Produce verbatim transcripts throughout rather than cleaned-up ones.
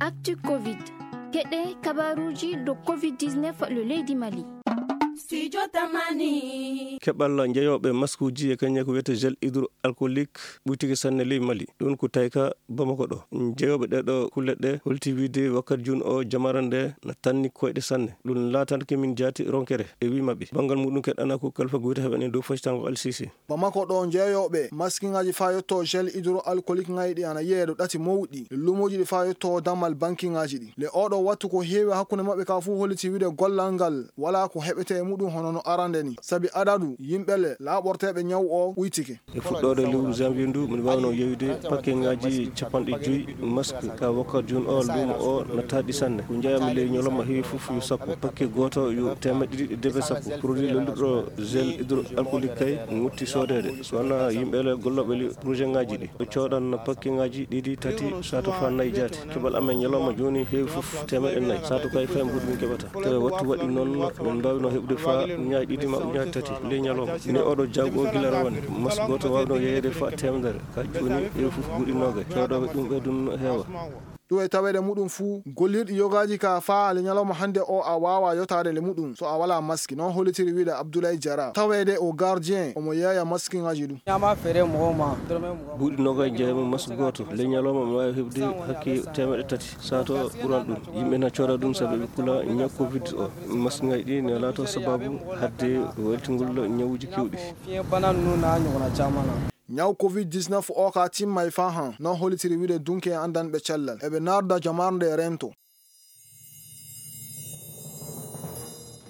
Actu covid. Keɗe kabaruuji do covid dix-neuf le leydi Mali. Studio Tamani. Keɓal jeyooɓe maskuuji e kañum ko wiyetee gel hydroalcoolique ɓuytike sanne ley Mali. Ɗum ko tawi ka Bamako ɗo. Jeyooɓe ɗeɗo kulle ɗe holti wiide wakkati jun o jamara nde na tanni koyɗe sanne. Ɗum laatanke min jaati ronkere e wi maɓɓe. Banngal muɗum keɗɗana ko kalfa goyta heɓen e dow fasitango Al Sisi. Bamako ɗo, jeeyooɓe maskiŋaaji faa yotto gel hydroalcoolique ŋayɗi ana yiyee ɗo ɗati mawɗi. Luumoji ɗi faa yotto dammal bankiŋaaji ɗi. Le oɗo wattu ko heewi hakkunde maɓɓe ka fuu holliti wiide gollal ngal walaa ko heɓetee e muɗum hono no arande ni. Sabi adadu yimɓe le laaɓorteeɓe ñaw o ɓuytike. E fuɗɗoode lewru janvier ndu, min waawno yeeyude pakke ŋaaji capanɗe joyi mask ka wakkati jun o luumo o nattaɗi sanne. Ko njeeyami ley ñalawma heewi fof yo sappo. Pakke gooto yo teemeɗɗe ɗiɗi e debe sappo. Produit lelluɗo gel hydroalcoolique kay ŋutti soodeede. So wonaa yimɓe le gollooɓe le projet ŋaaji ɗi, ɓe coodan pakke ŋaaji ɗiɗi, tati, sato faa nayi jaati. Keɓal amen ñalawma jooni heewi fof teemeɗɗe nayi. Sato kay fay mbuuɗu min keɓata. Tawi wattu waɗi noon, min mbaawino heɓude faa uñaaji ɗiɗi ma uñaaji tati ley ñalawma. Ni oɗo jawgo o gila rawane, mas gooto waawno yeeyde faa teemedere. Ka jooni heewi fof mbuuɗi noogay. Coodooɓe ɗum ɓe ɗum heewa. Ɗum e taweede muɗum fuu, gollirɗi yogaaji ka faa le ñalawma hannde o a waawaa yotaade le muɗum so a walaa maski. Noon hollitiri wiide Abdoulaye Diarra. Taweede o gardien, omo yeeya maskiŋaaji ɗum. Ñaama feere mɔgɔw ma, dɔrɔmɛ mugan. Buuɗi noogay jeeyamo mas gooto. Le ñalawma omo waawi heɓde hakke teemeɗɗe tati. Sato ɓuran ɗum. Yimɓe na cooda ɗum sabu ɓe kula ñaw covid o. Maskiŋaaji ɗi ne laato sababu hadde weltingol ñawuuji kewɗi. Fiɲɛ bana ninnu n'a ɲɔgɔnna caman na. Ñaw covid dix-neuf o ka timmay faa han, noon hollitiri wiide dunke e anndanɓe cellal. Eɓe naarda jamarnde e rento.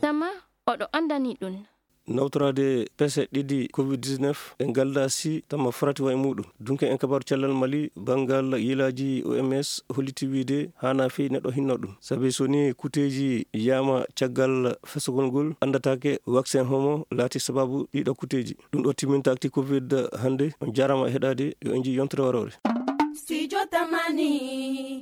Tama oɗo anndani ɗum. Nawtoraade pese ɗiɗi covid dix-neuf e ngalda si tama farati wa e muɗum. Dunke en kabaru cellal Mali, banngal yilaaji O M S holliti wiide haana fii neɗɗo hinno ɗum. Sabi so ni kuteeji yaama caggal fesogol ngol, anndataake waksen homo laati sababu ɗiɗo kuteeji. Ɗum ɗo timminta actu covid hannde. On jaaraama e heɗaade, yo en nji yontere waroore. Studio Tamani.